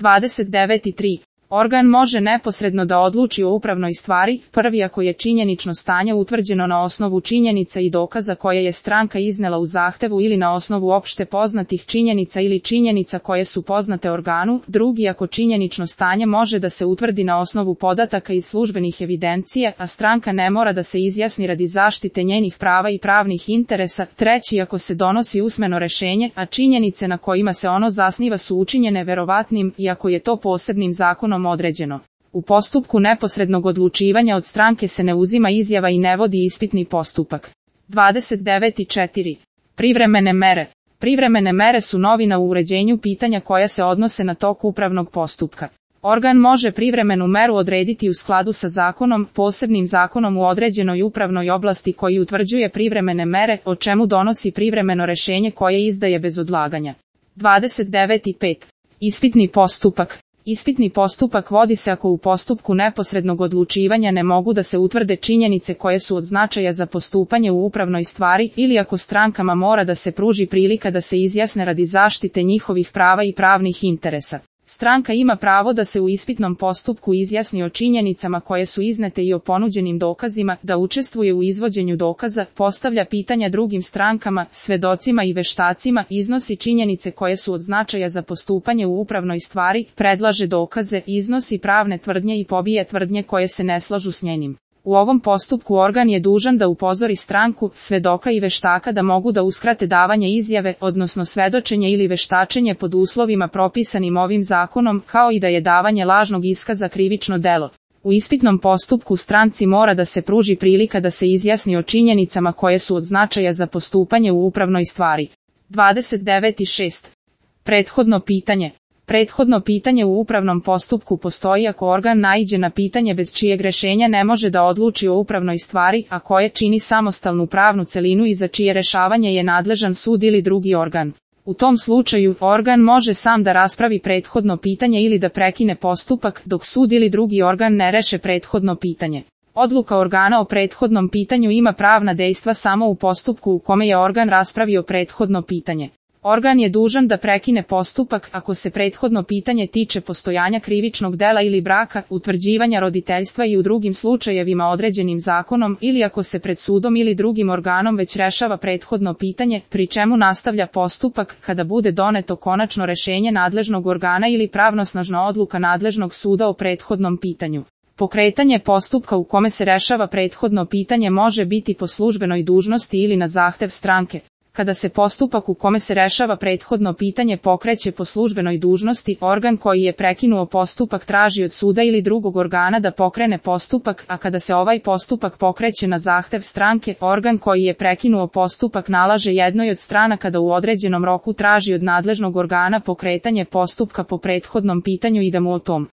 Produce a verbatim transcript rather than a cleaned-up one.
dvadeset devet i tri. Organ može neposredno da odluči o upravnoj stvari, prvi ako je činjenično stanje utvrđeno na osnovu činjenica i dokaza koje je stranka iznela u zahtevu ili na osnovu opšte poznatih činjenica ili činjenica koje su poznate organu, drugi ako činjenično stanje može da se utvrdi na osnovu podataka iz službenih evidencija, a stranka ne mora da se izjasni radi zaštite njenih prava i pravnih interesa, treći ako se donosi usmeno rešenje, a činjenice na kojima se ono zasniva su učinjene verovatnim i ako je to posebnim zakonom određeno. U postupku neposrednog odlučivanja od stranke se ne uzima izjava i ne vodi ispitni postupak. dvadeset devet i četiri. Privremene mere. Privremene mere su novina u uređenju pitanja koja se odnose na tok upravnog postupka. Organ može privremenu meru odrediti u skladu sa zakonom, posebnim zakonom u određenoj upravnoj oblasti koji utvrđuje privremene mere, o čemu donosi privremeno rešenje koje izdaje bez odlaganja. dvadeset devet i pet. Ispitni postupak. Ispitni postupak vodi se ako u postupku neposrednog odlučivanja ne mogu da se utvrde činjenice koje su od značaja za postupanje u upravnoj stvari ili ako strankama mora da se pruži prilika da se izjasne radi zaštite njihovih prava i pravnih interesa. Stranka ima pravo da se u ispitnom postupku izjasni o činjenicama koje su iznete i o ponuđenim dokazima, da učestvuje u izvođenju dokaza, postavlja pitanja drugim strankama, svedocima i veštacima, iznosi činjenice koje su od značaja za postupanje u upravnoj stvari, predlaže dokaze, iznosi pravne tvrdnje i pobija tvrdnje koje se ne slažu s njenim. U ovom postupku organ je dužan da upozori stranku, svedoka i veštaka da mogu da uskrate davanje izjave, odnosno svedočenje ili veštačenje pod uslovima propisanim ovim zakonom, kao i da je davanje lažnog iskaza krivično delo. U ispitnom postupku stranci mora da se pruži prilika da se izjasni o činjenicama koje su od značaja za postupanje u upravnoj stvari. dvadeset devet i šest. Prethodno pitanje. Prethodno pitanje u upravnom postupku postoji ako organ naiđe na pitanje bez čijeg rešenja ne može da odluči o upravnoj stvari, a koje čini samostalnu pravnu celinu i za čije rešavanje je nadležan sud ili drugi organ. U tom slučaju, organ može sam da raspravi prethodno pitanje ili da prekine postupak, dok sud ili drugi organ ne reše prethodno pitanje. Odluka organa o prethodnom pitanju ima pravna dejstva samo u postupku u kome je organ raspravio prethodno pitanje. Organ je dužan da prekine postupak ako se prethodno pitanje tiče postojanja krivičnog dela ili braka, utvrđivanja roditeljstva i u drugim slučajevima određenim zakonom ili ako se pred sudom ili drugim organom već rešava prethodno pitanje, pri čemu nastavlja postupak kada bude doneto konačno rešenje nadležnog organa ili pravnosnažna odluka nadležnog suda o prethodnom pitanju. Pokretanje postupka u kome se rešava prethodno pitanje može biti po službenoj dužnosti ili na zahtev stranke. Kada se postupak u kome se rešava prethodno pitanje pokreće po službenoj dužnosti, organ koji je prekinuo postupak traži od suda ili drugog organa da pokrene postupak, a kada se ovaj postupak pokreće na zahtev stranke, organ koji je prekinuo postupak nalaže jednoj od stranaka da u određenom roku traži od nadležnog organa pokretanje postupka po prethodnom pitanju i da mu o tom